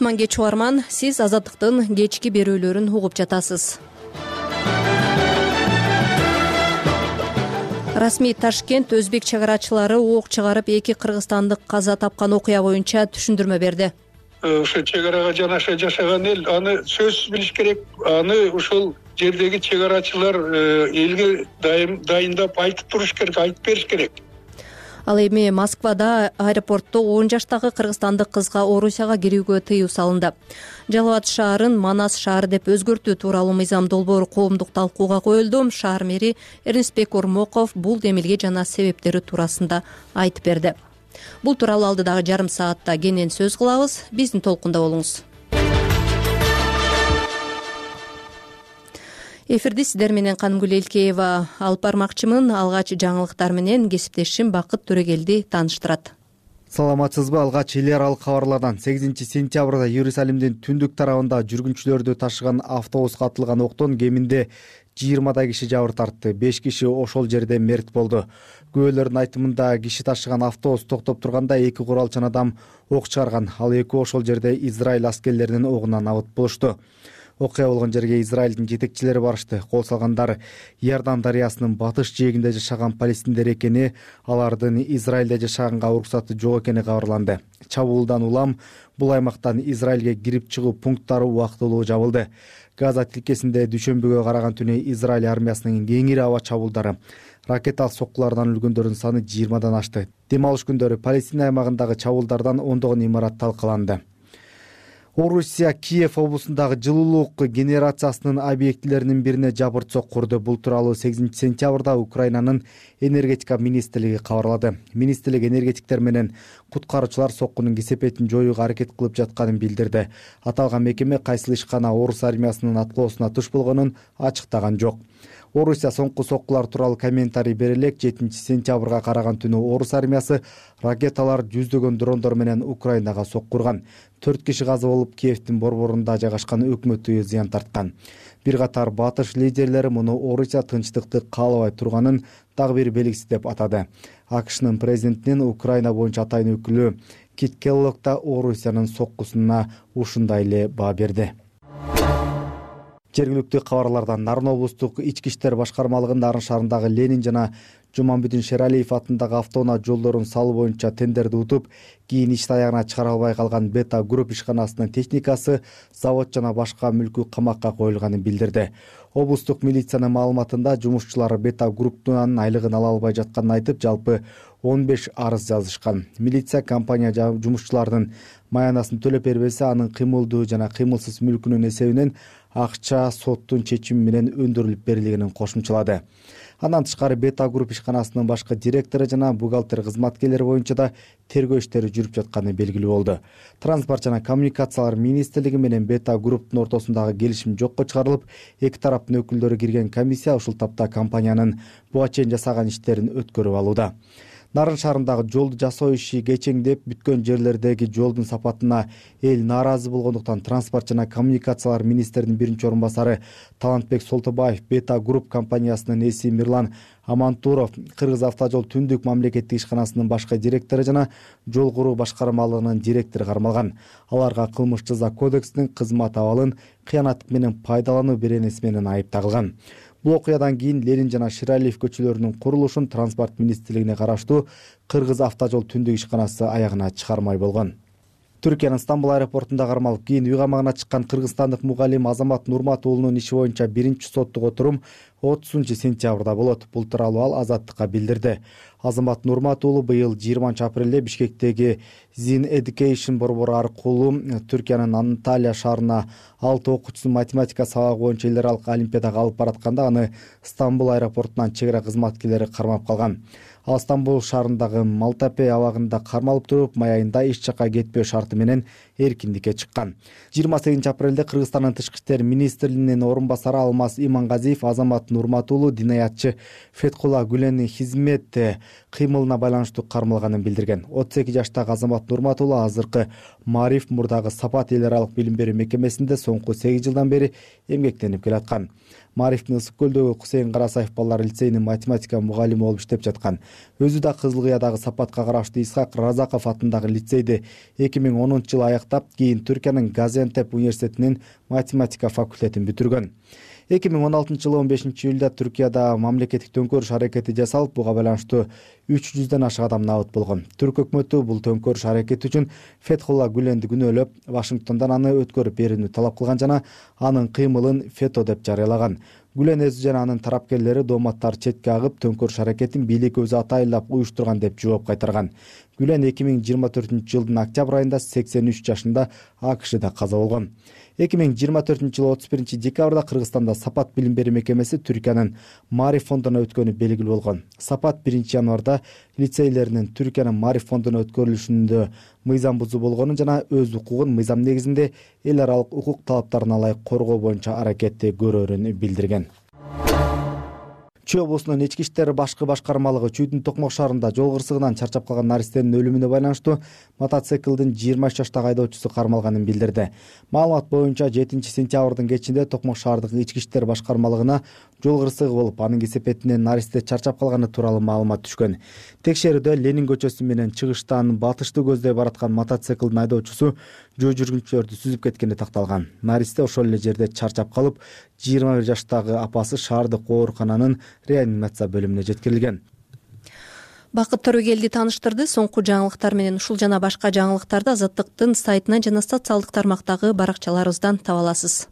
кутман кеч угарман, сиз Азаттыктын кечки берүүлөрүн угуп жатасыз. Расмий Ташкент өзбек чыгарачылары ок чыгарып 2 кыргызстандык каза тапкан окуя боюнча түшүндүрмө берди. Ошо чегарага жанаша жашаган эл аны сөзсүз билиш керек. Аны ушул жердеги чегарачылар элге дайындап айтып туруш керек, айтып бериш керек. Ал эми Москвада аэропортто 10 жаштагы кыргызстандык кызга Орусияга кирүүгө тыюу салынды. Жалал Абад шаарын Манас шаары деп өзгөртүү тууралуу мыйзам долбоору коомдук талкууга коюлду. Шаар мэри Эрнестбек Ормоков бул демилге жана себептери туурасында айтып берди. Бул тууралуу алдыдагы жарым саатта кенен сөз кылабыз. Биздин толкунда болуңуз. Эфирди сиздер менен Канымгүл Элкеева алып бармакчымын. Алгач жаңылыктар менен кесиптешим Бакыт Төрөгелди тааныштырат. Саламатсызбы? Алгач эл аралык кабарлардан 8-сентябрда Иерусалимдин түндүк тарабында жүргүнчүлөрдү ташыган автобуска атылган октон кеминде 20 киши жабыр тартты. 5 киши ошол жерде мерт болду. Күбөлөрдүн айтымында киши ташыган автобус токтоп турганда 2 куралчан адам ок чыгарган. Ал 2 ошол жерде Израиль аскерлеринин огунан абыт болушту. Окуя болгон жерге Израилдин жетекчилери барышты. Кол салгандар Иордан дарыясынын батыш жээгинде жашаган палестиндер экени, алардын Израилде жашаганга уруксаты жок экени кабарланды. Чабуулдан улам бул аймактан Израилге кирип чыгуу пункттары убактылуу жабылды. Газа тилкесинде дүйшөмбүгө караган түнү Израиль армиясынын кеңири аба чабуулдары ракеталык соккулардан өлгөндөрдүн саны 20дан ашты. Дем алыш күндөрү Палестина аймагындагы чабуулдардан ондогон имарат талкаланды. Орусия Киев облусундагы жылуулук генерациясынын объектилеринин бирине жабырт курду. Бул тууралуу 8-сентябрда Украинанын энергетика министрлиги кабарлады. Министрлик энергетиктер менен куткаруучулар соккунун кесепетин жоюуга аракет кылып жатканын билдирди. Аталган мекеме кайсыл ишкана орус армиясынын аткоосуна туш болгонун ачыктаган жок. Орусия соңку соккулар тууралуу комментарий бере элек 7-сентябрга караган түнү орус армиясы ракеталар жүздөгөн дрондор менен Украинага соккурган. 4 киши каза болуп, Киевдин борборунда жайгашкан өкмөт үйү зыян тарткан. Бир катар батыш лидерлери муну Орусия тынчтыкты каалабай турганын дагы бир белгиси деп атады. АКШнын президентинин Украина боюнча атайын өкүлү Кит Келлог да Орусиянын соккусуна ушундай эле баа берди. Жергиликтүү кабарлардан Нарын облустук ички иштер башкармалыгынын Нарын шаарындагы Ленин жана Жуманбүдүн Шералиев атындагы автоунаа жолдорун салуу боюнча тендерди утуп, кийин ишти аягына чыгара албай калган Бета Групп ишканасынын техникасы, завод жана башка мүлкү камакка коюлганын билдирди. Облустук милициянын маалыматында жумушчулар Бета Групптун айлыгын ала албай жатканын айтып, жалпы 15 арыз жазышкан. Милиция компания жумушчулардын маянасын төлөп бербесе, анын кыймылдуу жана кыймылсыз мүлкүнүн эсебинен акча соттун чечими менен өндүрүлүп берилгенин кошумчалады. Андан тышкары Бета Групп ишканасынын башкы директору жана бухгалтер кызматкерлери боюнча да тергөө иштери жүрүп жатканы белгилүү болду. Транспорт жана коммуникациялар министрлиги менен Бета Групптун ортосундагы келишим жокко чыгарылып, эки тараптын өкүлдөрү кирген комиссия ушул тапта компаниянын буга чейин жасаган иштерин өткөрүп алууда. Нарын шаарындагы жолду жасоо иши кечеңдеп, бүткөн жерлердеги жолдун сапатына эл нааразы болгондуктан транспорт жана коммуникациялар министринин биринчи орун басары Талантбек Солтобаев, Бета Групп компаниясынын ээси Мирлан Амантуров, Кыргыз автожол түндүк мамлекеттик ишканасынын башкы директору жана жол куруу башкармалыгынын директору кармалган. Аларга кылмыш жаза кодексинин кызмат абалын кыянаттык менен пайдалануу беренеси менен айып тагылган. Бул окуядан кийин Ленин жана Ширалиев көчөлөрүнүн курулушун транспорт министрлигине караштуу Кыргыз автожол түндүк ишканасы аягына чыгармай болгон. Түркиянын Стамбул аэропортунда кармалып, кийин үй камагына чыккан кыргызстандык мугалим Азамат Нурмат уулунун иши боюнча биринчи соттук отурум 30-сентябрда болот. Бул тууралуу ал Азаттыкка билдирди. Азамат Нурмат уулу быйыл 20-апрелде Бишкектеги Zin Education борбору аркылуу Түркиянын Анталия шаарына 6 окуучусун математика сабагы боюнча эл аралык олимпиадага алып баратканда аны Стамбул аэропортунан чек ара кызматкерлери кармап калган. Ал Стамбул шаарындагы Малтапе абагында кармалып туруп, май айында эч жакка кетпөө шарты менен эркиндикке чыккан. 28 апрелде Кыргызстандын тышкы иштер министринин орун басары Алмаз Имангазиев Азамат Нурмат уулу динаятчы Феткулла Гүленин хизмет кыймылына байланыштуу кармалганын билдирген. 32 жаштагы Азамат Нурмат уулу азыркы Маариф мурдагы Сапат эл аралык билим берүү мекемесинде соңку 8 жылдан бери эмгектенип келаткан. Маарифтин Ысык көлдөгү Кусейин Карасаев балдар лицейинин математика мугалими болуп иштеп жаткан. Өзү да Кызыл Кыядагы Сапатка караштуу Исхак Разаков атындагы лицейди 2010-жылы аяктап, кийин Түркиянын Газиантеп университетинин математика факультетин бүтүргөн. 2016-жылы 15-июлда Түркияда мамлекеттик төңкөрүш аракети жасалып, буга байланыштуу 300дөн ашык адам набыт болгон. Түрк өкмөтү бул төңкөрүш аракети үчүн Феткулла Гүленди күнөөлөп, Вашингтондон аны өткөрүп берүүнү талап кылган жана анын кыймылын фето деп жарыялаган. Гүлен өзү жана анын тарапкерлери дооматтар четке агып, төңкөрүш аракетин бийлик өзү атайылап уюштурган деп жооп кайтарган. Гүлен 2024-жылдын октябрь айында 83 жашында АКШда каза болгон. 2024-жылы 31 декабрда Кыргызстанда Сапат билим берүү мекемеси Түркиянын Маариф фондуна өткөнү белгилүү болгон. Сапат 1 январда лицейлеринин Түркиянын Маариф фондуна өткөрүлүшүндө мыйзам бузуу болгонун жана өз укугун мыйзам негизинде эл аралык укук талаптарына ылайык коргоо боюнча аракетти көрөрүн билдирген. Чүй облусунун ички иштер башкы башкармалыгы Чүйдүн Токмок шаарында жол кырсыгынан чарчап калган наристенин өлүмүнө байланыштуу мотоциклдин 23 жаштагы айдоочусу кармалганын билдирди. Маалымат боюнча 7-сентябрдын кечинде Токмок шаардык ички иштер башкармалыгына жол кырсыгы болуп, анын кесепетинен наристе чарчап калганы тууралуу маалымат түшкөн. Текшерүүдө Ленин көчөсү менен чыгыштан батышты көздөй бараткан мотоциклдин айдоочусу жөө жүргүнчүлөрдү сүзүп кеткени такталган. Наристе ошол эле жерде чарчап калып, 21 жаштагы апасы шаардык оорукананын реанимация бөлүмүнө жеткирилген. Бакыт Төрөгелди тааныштырды. Соңку жаңылыктар менен ушул жана башка жаңылыктарды Азаттыктын сайтынан жана социалдык тармактагы баракчаларыбыздан таба аласыз.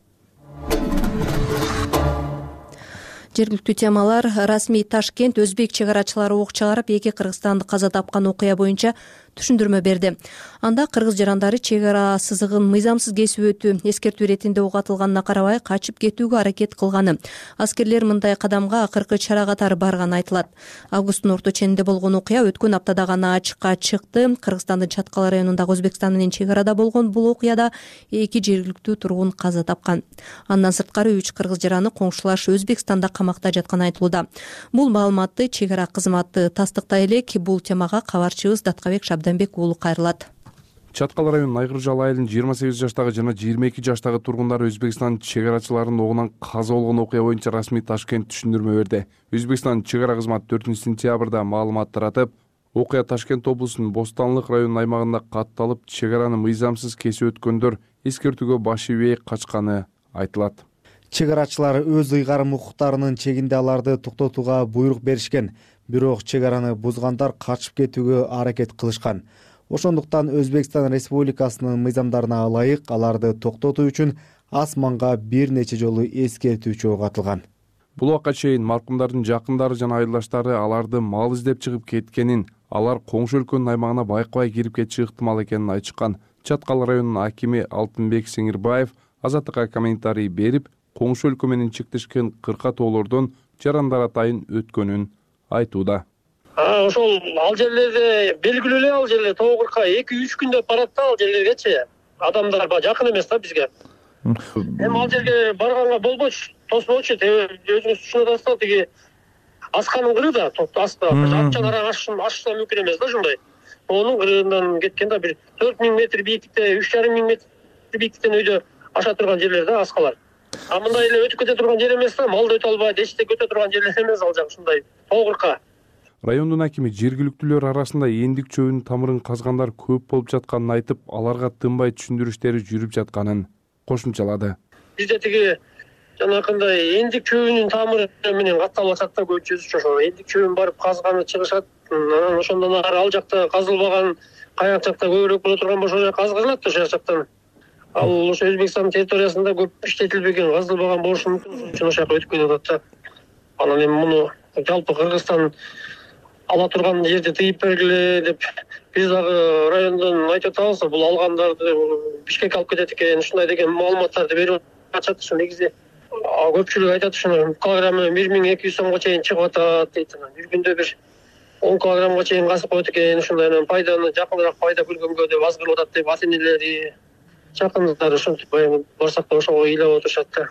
Жергиликтүү темалар. Расмий Ташкент өзбек чек арачылары ок чыгарып, 2 кыргызстанды каза тапкан окуя боюнча түшүндүрмө берди. Анда кыргыз жарандары чек ара сызыгын мыйзамсыз кесип өтүү, эскертүү иретинде ок атылганына карабай качып кетүүгө аракет кылганы. Аскерлер мындай кадамга акыркы чара катары барганы айтылат. Августтун орто ченинде болгон окуя өткөн аптада гана ачыкка чыкты. Кыргызстандын Чаткал районундагы Өзбекстан менен чек арада болгон бул окуяда 2 жергиликтүү тургун каза тапкан. Андан сырткары 3 кыргыз жараны коңшулаш Өзбекстанда камакта жатканы айтылууда. Бул маалыматты чек ара кызматы тастыктай элек. Бул темага кабарчыбыз Даткабек Абданбек уулу кайрылат. Чаткал районунун Айгыржал айылынын 28 жаштагы жана 22 жаштагы тургундары Өзбекстан чек арачыларынын огунан каза болгон окуя боюнча Расмий Ташкент түшүндүрмө берди. Өзбекстан чек ара кызматы 4-сентябрда маалымат таратып, окуя Ташкент облусунун Бостанлык районунун аймагында катталып, чек араны мыйзамсыз кесип өткөндөр эскертүүгө баш ийбей качканы айтылат. Чек арачылар өз ыйгарым укуктарынын чегинде аларды токтотууга буйрук беришкен. Бирок чек араны бузгандар качып кетүүгө аракет кылышкан. Ошондуктан Өзбекстан Республикасынын мыйзамдарына ылайык аларды токтотуу үчүн асманга бир нече жолу эскертүүчү ок атылган. Бул убакка чейин маркумдардын жакындары жана айылдаштары аларды мал издеп чыгып кеткенин, алар коңшу өлкөнүн аймагына байкабай кирип кетиши ыктымал экенин айтышкан. Чаткал районунун акими Алтынбек Сеңирбаев Азаттыкка комментарий берип, коңшу өлкө менен чектешкен кырка тоолордон жарандар атайын өткөнүн айтууда. Ошол ал жерлерде белгилүү эле, ал жерлер тоо кырка 2-3 күндө барат да ал жерлергечи. Адамдар жакын эмес да бизге. Эми ал жерге барганга болбойчу, тоспочу, өзүңүз түшүнүп атасыз да, тиги асканын кыры да, аста апчан арага ашса мүмкүн эмес да ушундай. Онун кырыынан кеткен да бир 4000 метр бийиктикте, 3,5 метр бийиктиктен өйдө аша турган жерлер да аскалар. Мындай эле өтүп кете турган жер эмес да, малды өтө албайт, эчтек өтө турган жерлер эмес ал жак ушундай тоо кырка. Райондун акими жергиликтүүлөр арасында эндик чөбүнүн тамырын казгандар көп болуп жатканын айтып, аларга тынбай түшүндүрүштери жүрүп жатканын кошумчалады. Бизде тиги жанакындай эндик чөбүнүн тамыры менен катталып атат да көбүнчөсү ошо. Эндик чөбүн барып казганы чыгышат. Анан ошондон ары ал жакта казылбаган, каяк жакта көбүрөөк боло турган болсо ошо казгырылат ошол жактан. Ал ошо Өзбекстан территориясында көп иштетилбеген, казылбаган болушу мүмкүн, ошон үчүн ошол жака өтүп кетип атат да. Анан эми муну жалпы Кыргызстан ала турган жерди тыйып бергиле деп биз дагы райондон айтып атабыз. Бул алгандарды Бишкекке алып кетет экен, ушундай деген маалыматтарды берип атышат. Ошо негизи көпчүлүк айтат, ушуну килограммы 1200 сомго чейин чыгып атат дейт. Бир күндө бир 10 килограммга чейин касып коет экен. Ушундай пайданы жакыныраак пайда көргөнгө деп азгырып атат деп ата-энелери, жакындары ушинтип барсак да ошого ыйлап отурушат да.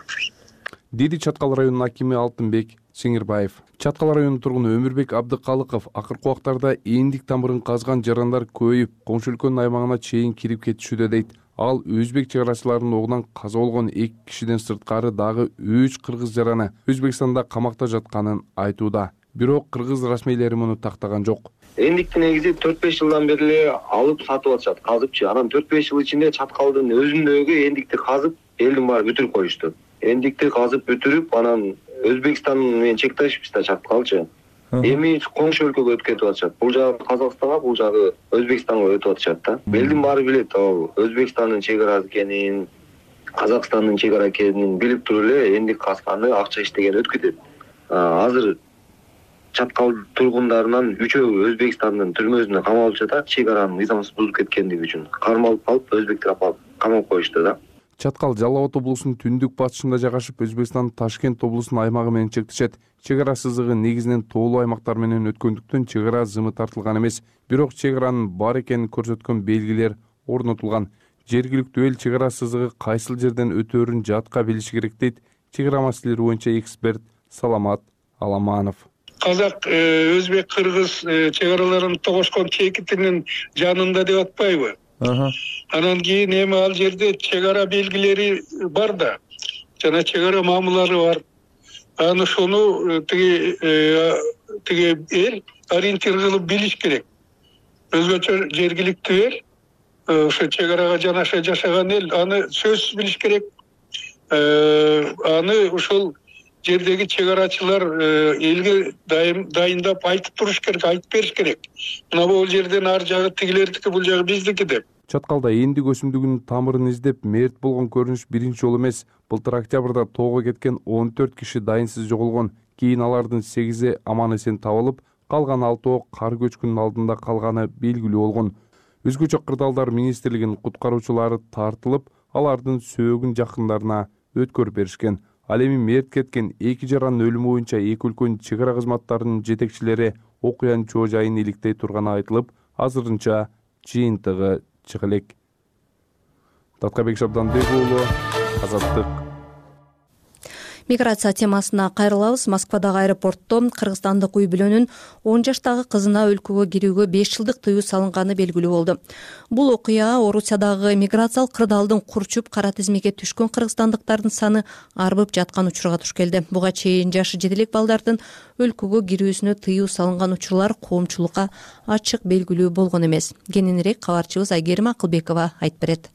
Деди Чаткал районунун акими Алтынбек Сеңирбаев. Чаткал районунун тургуну Өмүрбек Абдыкалыков акыркы убактарда эндик тамырын казган жарандар көбөйүп, коңшу өлкөнүн аймагына чейин кирип кетишүүдө дейт. Ал өзбек чек арачыларынын огунан каза болгон 2 кишиден сырткары дагы 3 кыргыз жараны Өзбекстанда камакта жатканын айтууда. Бирок кыргыз расмийлери муну тактаган жок. Эндикти негизи 4-5 жылдан бери эле алып сатып атышат, казыпчы. Анан 4-5 жыл ичинде Чаткалдын өзүндөгү эндикти казып, элдин баары бүтүрүп коюшту. Эндикти казып бүтүрүп, анан Өзбекстан менен чектешипиз да Чаткалчы. Эми коңшу өлкөгө өтүп кетип атышат. Бул жагы Казакстанга, бул жагы Өзбекстанга өтүп атышат да. Элдин баары билет, Өзбекстандын чек арасы экенин, Казакстандын чек ара экенин билип туруп эле эндик казганы, акча иштеген өтүп кетет. Азыр Чаткал тургундарынан 3-өө Өзбекстандын түрмөсүнө камалып жатат, чек аранын мыйзамсыз бузуп кеткендиги үчүн. Кармалып калып, өзбектер апалып камап коюшту да. Чаткал Жалал Абад облусунун түндүк батышында жайгашып, Өзбекстандын Ташкент облусунун аймагы менен чектешет. Чек ара сызыгы негизинен тоолуу аймактар менен өткөндүктөн чек ара зымы тартылган эмес. Бирок чек аранын бар экенин көрсөткөн белгилер орнотулган. Жергиликтүү эл чек ара сызыгы кайсыл жерден өтөөрүн жатка билиши керек дейт чек ара маселелери боюнча эксперт Саламат Аламанов. Казак, өзбек, кыргыз чек араларын тогошкон чекитинин жанында деп атпайбы? Анан кийин эми ал жерде чек ара белгилери бар да, жана чек ара мамылары бар. Аны ошону тиги эл ориентир кылып билиш керек. Өзгөчө жергиликтүү эл, ошо чек арага жанаша жашаган эл аны сөзсүз билиш керек. Аны ошол жердеги чек арачылар элге дайындап айтып туруш керек, айтып бериш керек. Мына бул жерден ар жагы тигилердики, бул жагы биздики деп. Чаткалда эндик өсүмдүгүнүн тамырын издеп мерт болгон көрүнүш биринчи жолу эмес. Былтыр октябрда тоого кеткен 14 киши дайынсыз жоголгон. Кийин алардын 8-и аман эсен табылып, калган 6-о кар көчкүнүнүн алдында калганы белгилүү болгон. Өзгөчө кырдаалдар министрлигинин куткаруучулары тартылып, алардын сөөгүн жакындарына өткөрүп беришкен. Ал эми мерт кеткен 2 жаранын өлүмү боюнча эки өлкөнүн чек ара кызматтарынын жетекчилери окуянын чоо жайын иликтей турганы айтылып, азырынча жыйынтыгы чыга элек. Таткабек Шабданбек уулу, Азаттык. Миграция темасына кайрылабыз. Москвадагы аэропортто кыргызстандык үй бүлөнүн 10 жаштагы кызына өлкөгө кирүүгө 5 жылдык тыюу салынганы белгилүү болду. Бул окуя Орусиядагы миграциялык кырдаалдын курчуп кара тизмеге түшкөн кыргызстандыктардын саны арбып жаткан учурга туш келди. Буга чейин жашы жете элек балдардын өлкөгө кирүүсүнө тыюу салынган учурлар коомчулукка ачык белгилүү болгон эмес. Кененирээк кабарчыбыз Айгерим Акылбекова айтып берет.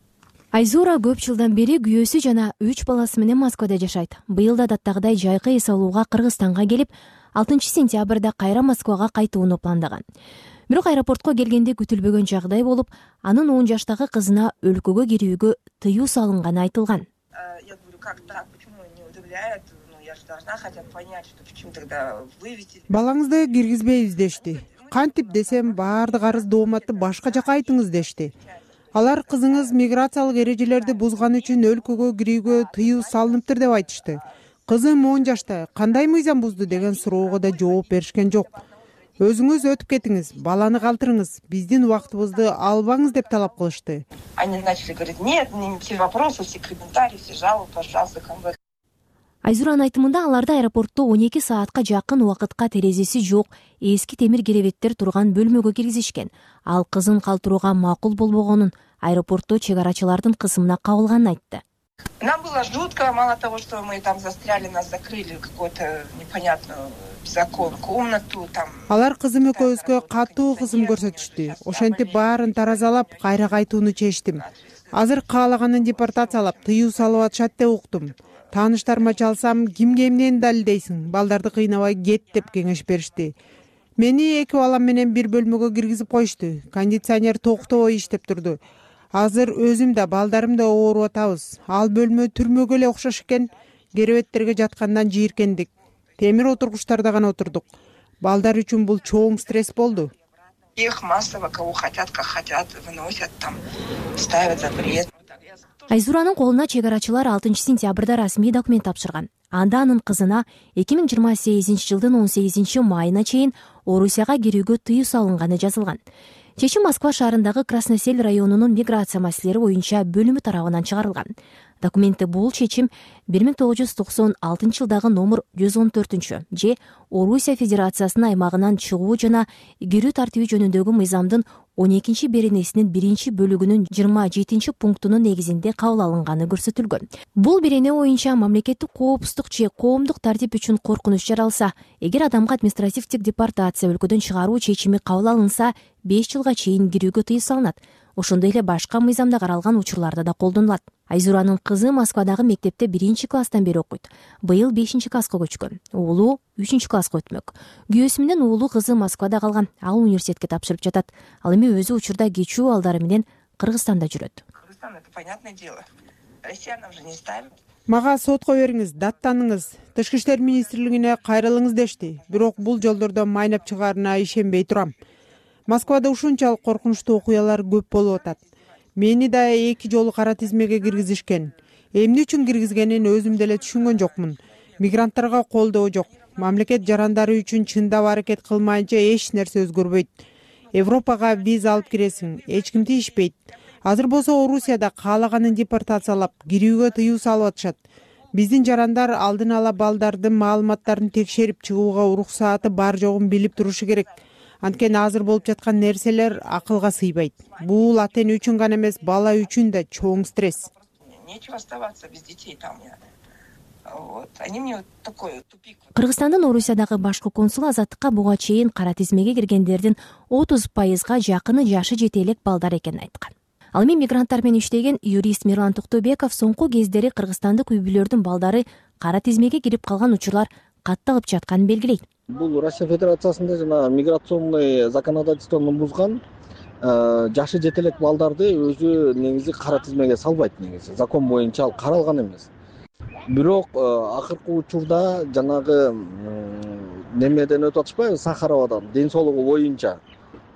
Айзура көп жылдан бери күйөөсү жана 3 баласы менен Москвада жашайт. Быйыл да адаттагыдай жайкы эс алууга Кыргызстанга келип, 6-сентябрда кайра Москвага кайтууну пландаган. Бирок аэропортко келгенде күтүлбөгөн жагдай болуп, анын 10 жаштагы кызына өлкөгө кирүүгө тыюу салынганы айтылган. Я говорю, как так, почему не удивляет? Я же должна хотя бы понять, что почему тогда вывести. Балаңызды киргизбейбиз дешти. Кантип десем, баардык арыз дооматты башка жака айтыңыз дешти. Алар кызыңыз миграциялык эрежелерди бузган үчүн өлкөгө кирүүгө тыюу салыныптыр деп айтышты. Кызым 10 жашта, кандай мыйзам бузду деген суроого да жооп беришкен жок. Өзүңүз өтүп кетиңиз, баланы калтырыңыз, биздин убактыбызды албаңыз деп талап кылышты. Они начали говорить: нет, все вопросы, все комментарии, все жалобы, пожалуйста, ко мне. Айзуранын айтымында аларды аэропортто 12 саатка жакын убакытка терезеси жок, эски темир керебеттер турган бөлмөгө киргизишкен. Ал кызын калтырууга макул болбогонун, аэропортто чек арачылардын кысымына кабылганын айтты. Нам было жутко, мало того, что мы там застряли, нас закрыли в какую-то непонятную беззаконную комнату там. Алар кызым экөөбүзгө катуу кысым көрсөтүштү. Ошентип баарын таразалап, кайра кайтууну чечтим. Азыр каалаганын депортациялап, тыюу салып атышат деп уктум. Тааныштарыма чалсам, кимге эмнени далилдейсиң, балдарды кыйнабай кет деп кеңеш беришти. Мени 2 балам менен бир бөлмөгө киргизип коюшту. Кондиционер токтобой иштеп турду. Азыр өзүм да балдарым да ооруп атабыз. Ал бөлмө түрмөгө эле окшош экен. Керебеттерге жаткандан жийиркендик. Темир отургучтарда гана отурдук. Балдар үчүн бул чоң стресс болду. Их массово, кого хотят, как хотят, выносят там, ставят запрет. Айзуранын колуна чек арачылар 6-сентябрда расмий документ тапшырган. Анда анын кызына 2028-жылдын 18-майына чейин Орусияга кирүүгө тыюу салынганы жазылган. Чечим Москва шаарындагы Красносель районунун миграция маселелери боюнча бөлүмү тарабынан чыгарылган. Документте бул чечим 1996 жылдагы номер 114 же Орусия Федерациясынын аймагынан чыгуу жана кирүү тартиби жөнүндөгү мыйзамдын 12 беренесинин 1 бөлүгүнүн 27 пунктунун негизинде кабыл алынганы көрсөтүлгөн. Бул берене боюнча мамлекеттик коопсуздук же коомдук тартип үчүн коркунуч жаралса, эгер адамга административдик депортация өлкөдөн чыгаруу чечими кабыл алынса, 5 жылга чейин кирүүгө тыюу салынат. Ошондой эле башка мыйзамда каралган учурларда да колдонулат. Айзуранын кызы Москвадагы мектепте 1-класстан бери окуйт. Быйыл 5-класска көчкөн. Уулу 3-класска өтмөк. Күйөөсү менен уулу кызы Москвада калган. Ал университетке тапшырып жатат. Ал эми өзү учурда кечүү балдары менен Кыргызстанда жүрөт. Кыргызстан — это понятное дело. Россиянам же не ставят. Мага сотко бериңиз, даттаныңыз, Тышкы иштер министрлигине кайрылыңыз дешти. Бирок бул жолдордон майнап чыгаарына ишенбей турам. Москвада ушунчалык коркунучтуу окуялар көп болуп атат. Мени да 2 жолу кара тизмеге киргизишкен. Эмне үчүн киргизгенин өзүм деле түшүнгөн жокмун. Мигранттарга колдоо жок. Мамлекет жарандары үчүн чындап аракет кылмайынча эч нерсе өзгөрбөйт. Европага виза алып киресиң, эч ким тийишпейт. Азыр болсо Орусияда каалаганын депортациялап, кирүүгө тыюу салып атышат. Биздин жарандар алдын ала балдардын маалыматтарын текшерип чыгууга уруксааты бар жогун билип турушу керек. Анткени азыр болуп жаткан нерселер акылга сыйбайт. Бул ата эне үчүн гана эмес, бала үчүн да чоң стресс. Нечего оставаться без детей там. Вот. Они мне вот такой тупик. Кыргызстандын Орусиядагы башкы консулу азаттыкка буга чейин кара тизмеге киргендердин 30%га жакыны жашы жете элек балдар экенин айткан. Ал эми мигранттар менен иштеген юрист Мирлан Токтойбеков соңку кездери кыргызстандык үй-бүлөрдүн балдары кара тизмеге кирип калган учурлар катталып жатканын белгилейт. Бул Россия Федерациясында жана миграционный законодательствону бузган жашы жете элек балдарды өзү негизи кара тизмеге салбайт негизи. Закон боюнча ал каралган эмес. Бирок акыркы учурда жанагы немеден өтүп атышпайбы, Сахаровадан ден соолугу боюнча.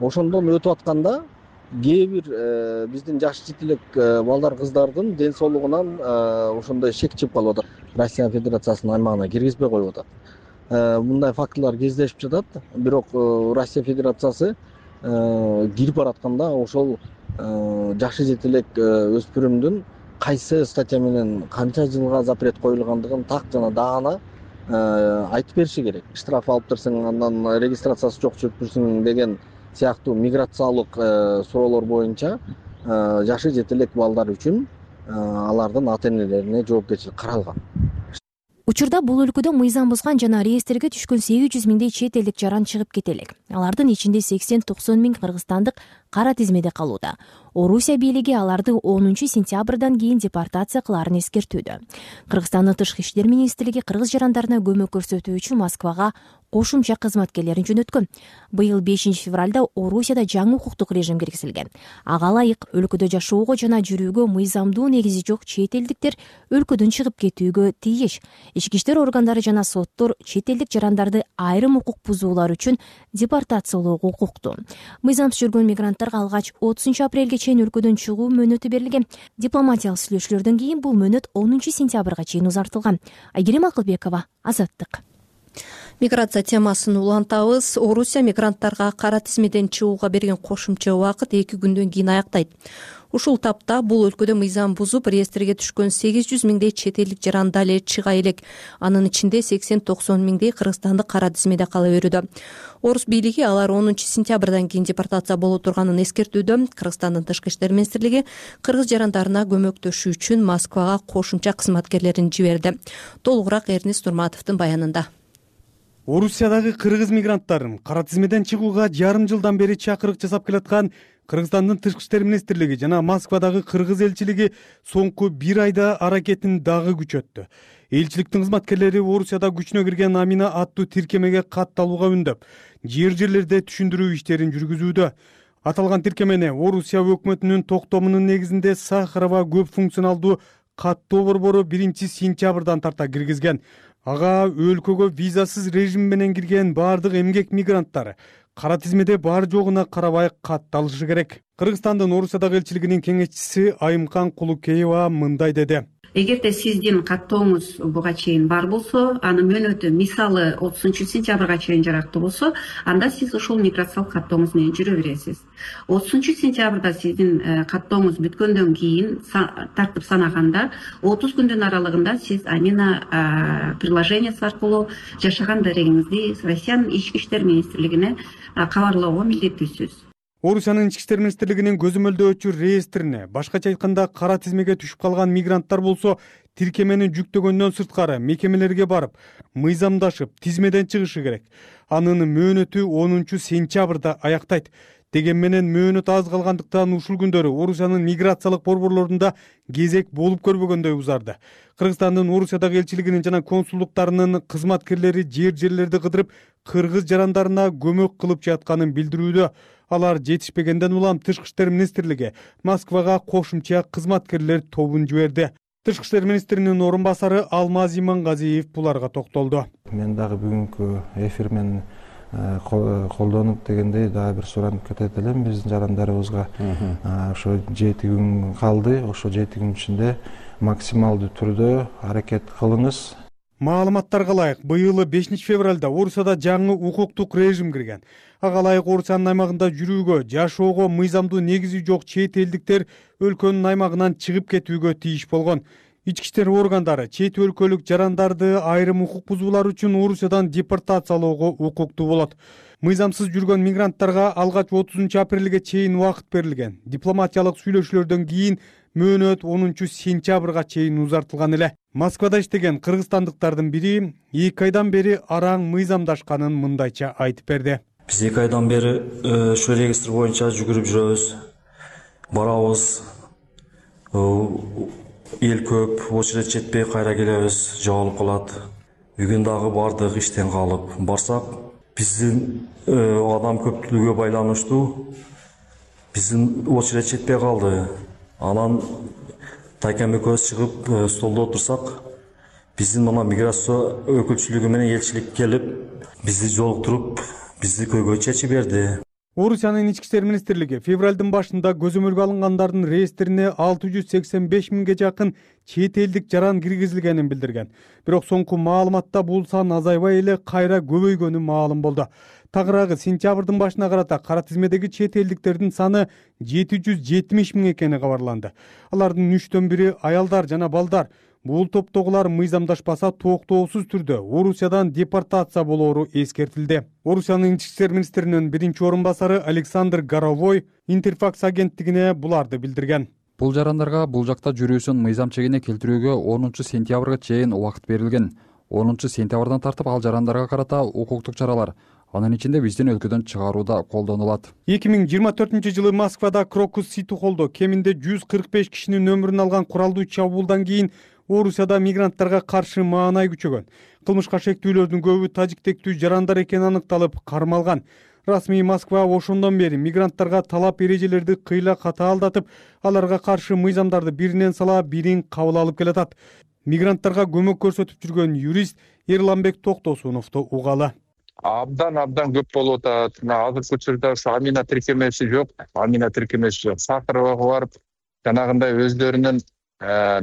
Ошондон өтүп атканда кээ бир биздин жашы жете элек балдар кыздардын ден соолугунан ошондой шек чыгып калып атат. Россия Федерациясынын аймагына киргизбей коюп атат. Мындай фактылар кездешип жатат. Бирок Россия Федерациясы кирип баратканда ошол жашы жете элек өспүрүмдүн кайсы статья менен канча жылга запрет коюлгандыгын так жана даана айтып бериши керек. Штраф алып берсең, андан регистрациясы жок чөктүрсүң деген сыяктуу миграциялык суроолор боюнча жашы жете элек балдар үчүн алардын ата энелерине жоопкерчилик каралган. Учурда бул өлкөдө мыйзам бузган жана реестрге түшкөн 800 миңдей чет элдик жаран чыгып кете элек. Алардын ичинде 80-90 миң кыргызстандык кара тизмеде калууда. Орусия бийлиги аларды 10 сентябрдан кийин депортация кылаарын эскертүүдө. Кыргызстандын Тышкы иштер министрлиги кыргыз жарандарына көмөк көрсөтүү үчүн Москвага кошумча кызматкерлерин жөнөткөн. Быйыл 5 февралда Орусияда жаңы укуктук режим киргизилген. Ага ылайык өлкөдө жашоого жана жүрүүгө мыйзамдуу негизи жок чет элдиктер өлкөдөн чыгып кетүүгө тийиш. Ички иштер органдары жана соттор чет элдик жарандарды айрым укук бузуулар үчүн депортациялоого укуктуу. Мыйзамсыз жүргөн мигранттарга алгач 30 апрелге чейин өлкөдөн чыгуу мөөнөтү берилген. Дипломатиялык сүйлөшүүлөрдөн кийин бул мөөнөт 10 сентябрга чейин узартылган. Айгерим Акылбекова, Азаттык. Миграция темасын улантабыз. Орусия мигранттарга кара тизмеден чыгууга берген кошумча убакыт 2 күндөн кийин аяктайт. Ушул тапта бул өлкөдө мыйзам бузуп, реестрге түшкөн 800 миңдей чет элдик жаран дале чыга элек. Анын ичинде 80-90 миңдей кыргызстандык кара тизмеде кала берүүдө. Орус бийлиги алар 10 сентябрдан кийин депортация боло турганын эскертүүдө. Кыргызстандын Тышкы иштер министрлиги кыргыз жарандарына көмөктөшүү үчүн Москвага кошумча кызматкерлерин жиберди. Толугураак Эрнис Турматовдун баянында. Орусиядагы кыргыз мигранттарын кара тизмеден чыгууга жарым жылдан бери чакырык жасап келаткан Кыргызстандын Тышкы иштер министрлиги жана Москвадагы кыргыз элчилиги соңку 1 айда аракетин дагы күчөттү. Элчиликтин кызматкерлери Орусияда күчүнө кирген Амина аттуу тиркемеге катталууга үндөп, жерлерде түшүндүрүү иштерин жүргүзүүдө. Аталган тиркемени Орусия өкмөтүнүн токтомунун негизинде Сахарова көп функционалдуу каттоо борбору 1 сентябрдан тарта киргизген. Ага өлкөгө визасыз режим менен кирген баардык эмгек мигранттар кара тизмеде бар жогуна карабай катталышы керек. Кыргызстандын Орусиядагы элчилигинин кеңешчиси Айымкан Кулукеева мындай деди. Эгерде сиздин каттооңуз буга чейин бар болсо, анын мөөнөтү мисалы 30-сентябрга чейин жарактуу болсо, анда сиз ушул миграциялык каттооңуз менен жүрө бересиз. 30-сентябрда сиздин каттооңуз бүткөндөн кийин тартып санаганда 30 күндүн аралыгында сиз Амина приложениясы аркылуу жашаган дарегиңизди Россиянын Ички иштер министрлигине кабарлоого милдеттүүсүз. Орусиянын Ички иштер министрлигинин көзөмөлдөөчү реестрине, башкача айтканда кара тизмеге түшүп калган мигранттар болсо, тиркемени жүктөгөндөн сырткары мекемелерге барып, мыйзамдашып, тизмеден чыгышы керек. Анын мөөнөтү 10-сентябрда аяктайт. Деген менен мөөнөт аз калгандыктан ушул күндөрү Орусиянын миграциялык борборлорунда кезек болуп көрбөгөндөй узарды. Кыргызстандын Орусиядагы элчилигинин жана консулдуктарынын кызматкерлери жерлерди кыдырып, кыргыз жарандарына көмөк кылып жатканын билдирүүдө. Алар жетишпегенден улам Тышкы иштер министрлиги Москвага кошумча кызматкерлер тобун жиберди. Тышкы иштер министринин орун басары Алмаз Имангазиев буларга токтолду. Мен дагы бүгүнкү эфир менен колдонуп дегендей дагы бир суранып кетет элем. Биздин жарандарыбызга ошо 7 күн калды. Ошо 7 күн ичинде максималдуу түрдө аракет кылыңыз. Маалыматтарга ылайык, быйыл 5 февралда Орусияда жаңы укуктук режим кирген. Ага ылайык Орусиянын аймагында жүрүүгө, жашоого мыйзамдуу негизи жок чет элдиктер өлкөнүн аймагынан чыгып кетүүгө тийиш болгон. Ички иштер органдары чет өлкөлүк жарандарды айрым укук бузуулар үчүн Орусиядан депортациялоого укуктуу болот. Мыйзамсыз жүргөн мигранттарга алгач 30 апрелге чейин убакыт берилген. Дипломатиялык сүйлөшүүлөрдөн кийин мөөнөт 10-сентябрга чейин узартылган эле. Москвада иштеген кыргызстандыктардын бири 2 айдан бери араң мыйзамдашканын мындайча айтып берди. Биз 2 айдан бери ушул регистр боюнча жүгүрүп жүрөбүз. Барабыз. Эл көп, очередь жетпей кайра келебиз, жоголуп калат. Бүгүн дагы бардык иштен калып. Барсак, биздин адам көптүлүгүгө байланыштуу биздин очередь жетпей калды. Анан Тайкем экөөбүз чыгып столдо отурсак, биздин мына миграция өкүлчүлүгү менен элчилик келип, бизди жолуктуруп, бизди көйгөй чечип берди. Орусиянын Ички иштер министрлиги февралдын башында көзөмөлгө алынгандардын реестрине 685 миңге жакын чет элдик жаран киргизилгенин билдирген. Бирок соңку маалыматта бул сан азайбай эле кайра көбөйгөнү маалым болду. Тагыраагы сентябрдын башына карата кара тизмедеги чет элдиктердин саны 770 миң экени кабарланды. Алардын 3төн бири аялдар жана балдар. Бул топтогулар мыйзамдашпаса токтоосуз түрдө Орусиядан депортация болоору эскертилди. Орусиянын Ички иштер министринин биринчи орун басары Александр Горовой Интерфакс агенттигине буларды билдирген. Бул жарандарга бул жакта жүрүүсүн мыйзам чегине келтирүүгө 10-сентябрга чейин убакыт берилген. 10-сентябрдан тартып ал жарандарга карата укуктук чаралар, анын ичинде биздин өлкөдөн чыгарууда колдонулат. 2024-жылы Москвада Крокус Сити холдо кеминде 145 кишинин өмүрүн алган куралдуу чабуулдан кийин Орусияда мигранттарга каршы маанай күчөгөн. Кылмышка шектүүлөрдүн көбү тажиктектүү жарандар экени аныкталып, кармалган. Расмий Москва ошондон бери мигранттарга талап эрежелерди кыйла катаалдатып, аларга каршы мыйзамдарды биринен сала бирин кабыл алып келатат. Мигранттарга көмөк көрсөтүп жүргөн юрист Эрланбек Токтосуновду угалы. Абдан көп болуп атат. Азыркы учурда Амина тиркемеси жок. Сахарова барып, жанагындай өздөрүнүн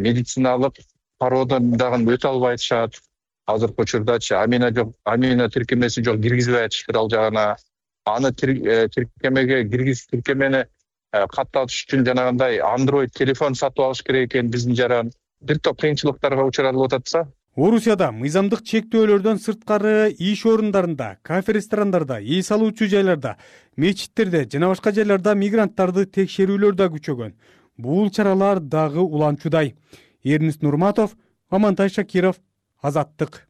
медициналык пародон дагы өтө албай атышат. Азыркы учурдачы Амина жок, Амина тиркемеси жок, киргизбей атышат ал жагына. Аны тиркемеге тиркемени каттатыш үчүн жанагындай Android телефон сатып алыш керек экен биздин жаран. Бир топ кыйынчылыктарга учуралып ататса. Орусияда мыйзамдык чектөөлөрдөн сырткары иш орундарында, кафе ресторандарда, эс алуучу жайларда, мечиттерде жана башка жайларда мигранттарды текшерүүлөр да күчөгөн. Бул чаралар дагы уланчудай. Эрнис Нурматов, Амантай Шакиров, Азаттык.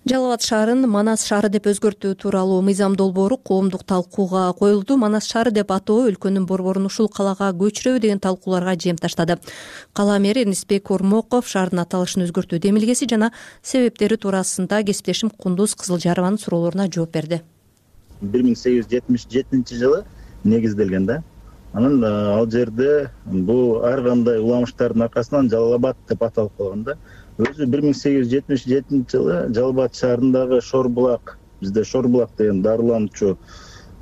Жалал Абад шаарын Манас шаары деп өзгөртүү тууралуу мыйзам долбоору коомдук талкууга коюлду. Манас шаары деп атоо өлкөнүн борборун ушул калаага көчүрөбү деген талкууларга жем таштады. Кала мэри Эрнисбек Ормоков шаардын аталышын өзгөртүү демилгеси жана себептери туурасында кесиптешим Кундуз Кызылжарованын суроолоруна жооп берди. 1877 жылы негизделген да. Анан ал жерде бул ар кандай уламыштардын аркасынан Жалал Абад деп аталып калган да. Өзү 1877 жылы Жалал Абад шаарындагы Шорбулак, бизде Шорбулак деген дарылануучу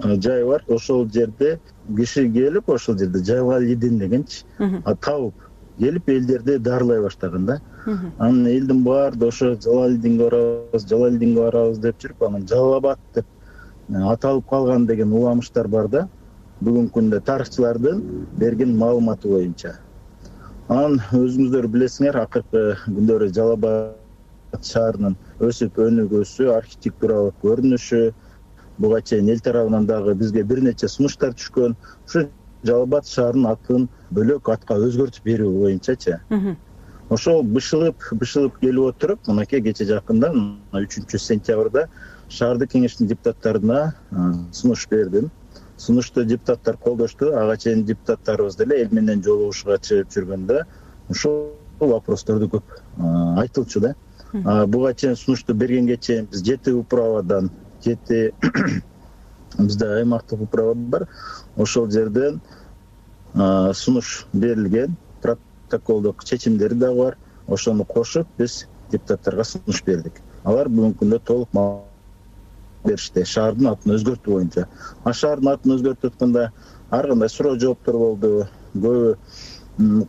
жай бар. Ошол жерде киши келип, ошол жерде Жалалидин дегенчи табып келип элдерди дарылай баштаган да. Анан элдин баары ошо Жалалидинге барабыз деп жүрүп, анан Жалал Абад деп аталып калган деген уламыштар бар да. Бүгүнкү күндө тарыхчылардын берген маалыматы боюнча. Анан өзүңүздөр билесиңер, акыркы күндөрү Жалал Абад шаарынын өсүп өнүгүүсү, архитектуралык көрүнүшү, буга чейин эл тарабынан дагы бизге бир нече сунуштар түшкөн. Ушу Жалал Абад шаарынын атын бөлөк атка өзгөртүп берүү боюнчачы. Ошол бышылып келип отуруп, мынакей кече жакында 3 сентябрда шаардык кеңештин депутаттарына сунуш бердим. Сунушту депутаттар колдошту. Ага чейин депутаттарыбыз деле эл менен жолугушууга чыгып жүргөндө ушул вопросторду көп айтылчу да. Буга чейин сунушту бергенге чейин биз 7 управадан, 7 бизде аймактык управа бар. Ошол жерден сунуш берилген, протоколдук чечимдери дагы бар. Ошону кошуп биз депутаттарга сунуш бердик. Алар бүгүнкү күндө толук беришти шаардын атын өзгөртүү боюнча. Шаардын атын өзгөртүп атканда ар кандай суроо жооптор болду. Көбү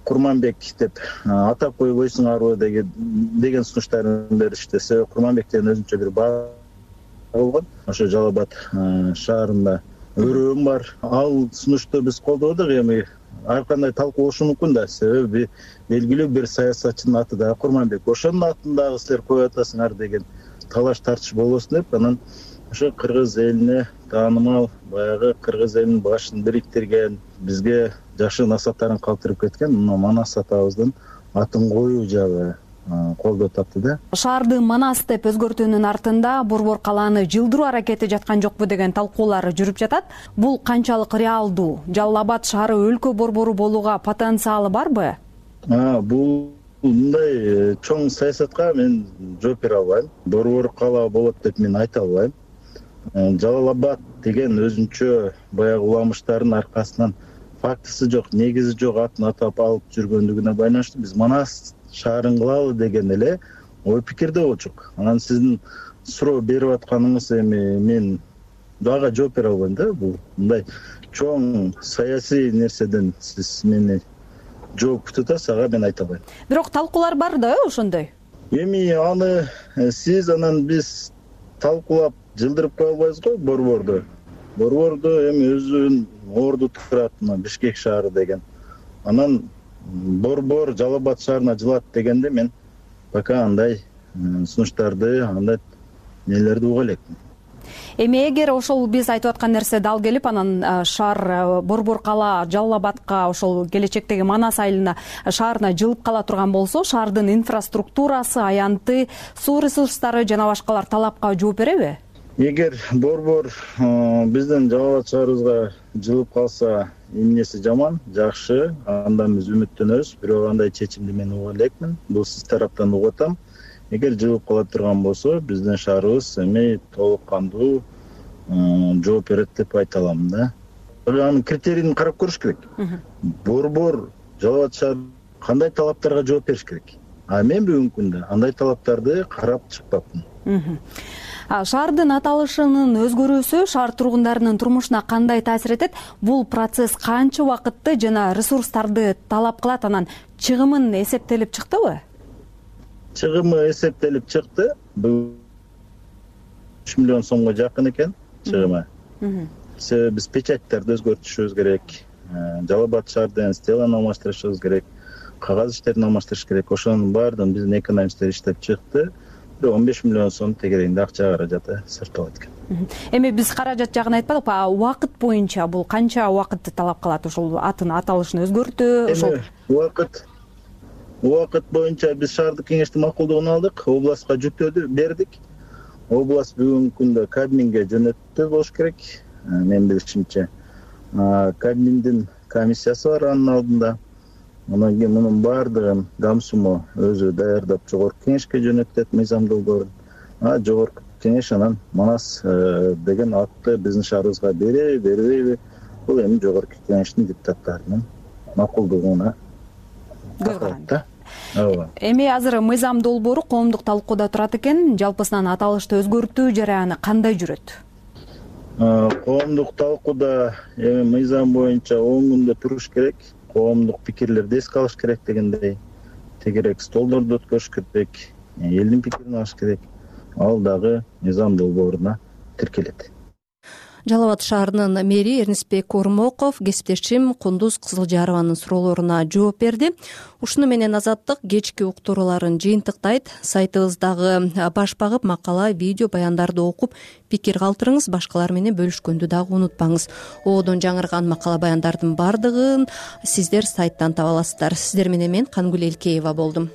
Курманбек деп атап койбойсуңарбы деген сунуштарын беришти. Себеби Курманбек деген өзүнчө бир баа болгон. Ошо Жалал Абад шаарында өрөөм бар. Ал сунушту биз колдодук. Эми ар кандай талкуу болушу мүмкүн да. Себеби белгилүү бир саясатчынын аты да Курманбек. Ошонун атын дагы силер коюп атасыңар деген талаш тартыш болбосун деп, анан ошо кыргыз элине таанымал, баягы кыргыз элинин башын бириктирген, бизге жакшы насааттарын калтырып кеткен Манас атабыздын атын коюу жагы колдоо тапты да. Шаарды Манас деп өзгөртүүнүн артында борбор калааны жылдыруу аракети жаткан жокпу деген талкуулар жүрүп жатат. Бул канчалык реалдуу? Жалал Абад шаары өлкө борбору болууга потенциалы барбы? Бул мындай чоң саясатка мен жооп бере албайм. Борбор кала болот деп мен айта албайм. Жалал Абад деген өзүнчө баягы уламыштардын аркасынан фактысы жок, негизи жок атын атап алып жүргөндүгүнө байланыштуу биз Манас шаарын кылалы деген эле ой пикирде болчук. Анан сиздин суроо берип атканыңыз эми мен дагы жооп бере албайм да. Бул мындай чоң саясий нерседен сиз мени жооп күтүп атасыз, ага мен айта албайм. Бирок талкуулар бар да ошондой. Эми аны сиз анан биз талкуулап жылдырып кое албайбыз го борборду. Борборду эми өзүнүн орду турат, Бишкек шаары деген. Анан борбор Жалал Абад шаарына жылат дегенде мен пока андай сунуштарды, андай нелерди уга элекмин. Эми эгер ошол биз айтып аткан нерсе дал келип, анан шаар борбор кала Жалал Абадка ошол келечектеги Манас айылына шаарына жылып кала турган болсо, шаардын инфраструктурасы, аянты, суу ресурстары жана башкалар талапка жооп береби? Эгер борбор биздин Жалал Абад шаарыбызга жылып калса, эмнеси жаман, жакшы, андан биз үмүттөнөбүз. Бирок андай чечимди мен уга элекмин. Бул сиз тараптан угуп атам. Эгер жылып кала турган болсо, биздин шаарыбыз эми толук кандуу жооп берет деп айта алам да. Анын критерийин карап көрүш керек. Борбор Жалал Абад шаар кандай талаптарга жооп бериш керек? Мен бүгүнкү күндө андай талаптарды карап чыкпапмын. Шаардын аталышынын өзгөрүүсү шаар тургундарынын турмушуна кандай таасир этет? Бул процесс канча убакытты жана ресурстарды талап кылат? Анан чыгымын эсептелип чыктыбы? Чыгымы эсептелип чыкты. 3 миллион сомго жакын экен чыгымы. Себеби биз печаттарды өзгөртүшүбүз керек. Жалал Абад шаардын стеланы алмаштырышыбыз керек. Кагаз иштерин алмаштырыш керек. Ошонун баардыгын биздин экономисттер иштеп чыкты. 15 миллион сом тегерегинде акча каражаты сырталат экен. Эми биз каражат жагын айтпадык, убакыт боюнча бул канча убакытты талап калат? Ошол атын аталышын өзгөртүү, ошол убакыт боюнча биз шаардык кеңештин макулдугун алдык, областка жүктөдү бердик. Област бүгүнкү күндө Кабминге жөнөттү болуш керек. Мен билишимче, Кабминдин комиссиясы бар анын алдында. Анан кийин мунун баардыгын Гамсумо өзү даярдап жогорку кеңешке жөнөттөт мыйзам долбоорун. Жогорку кеңеш анан Манас деген атты биздин шаарыбызга береби, бербейби? Бул эми жогорку кеңештин депутаттарынын макулдугуна көз каранды. Эми азыр мыйзам долбоору коомдук талкууда турат экен. Жалпысынан аталышты өзгөртүү жараяны кандай жүрөт? коомдук талкууда эми мыйзам боюнча 10 күндө туруш керек, коомдук пикирлерди эске алыш керек дегендей, тегерек столдорду өткөрүш керек, элдин пикирин алыш керек. Ал дагы мыйзам долбооруна тиркелет. Жалал Абад шаарынын мэри Эрнисбек Ормоков кесиптешим Кундуз Кызылжарованын суроолоруна жооп берди. Ушуну менен Азаттык кечки уктурууларын жыйынтыктайт. Сайтыбыздагы баш багып макала, видео баяндарды окуп пикир калтырыңыз, башкалар менен бөлүшкөндү дагы унутпаңыз. Оодон жаңырган макала баяндардын бардыгын сиздер сайттан таба аласыздар. Сиздер менен мен Кангүл Элкеева болдум.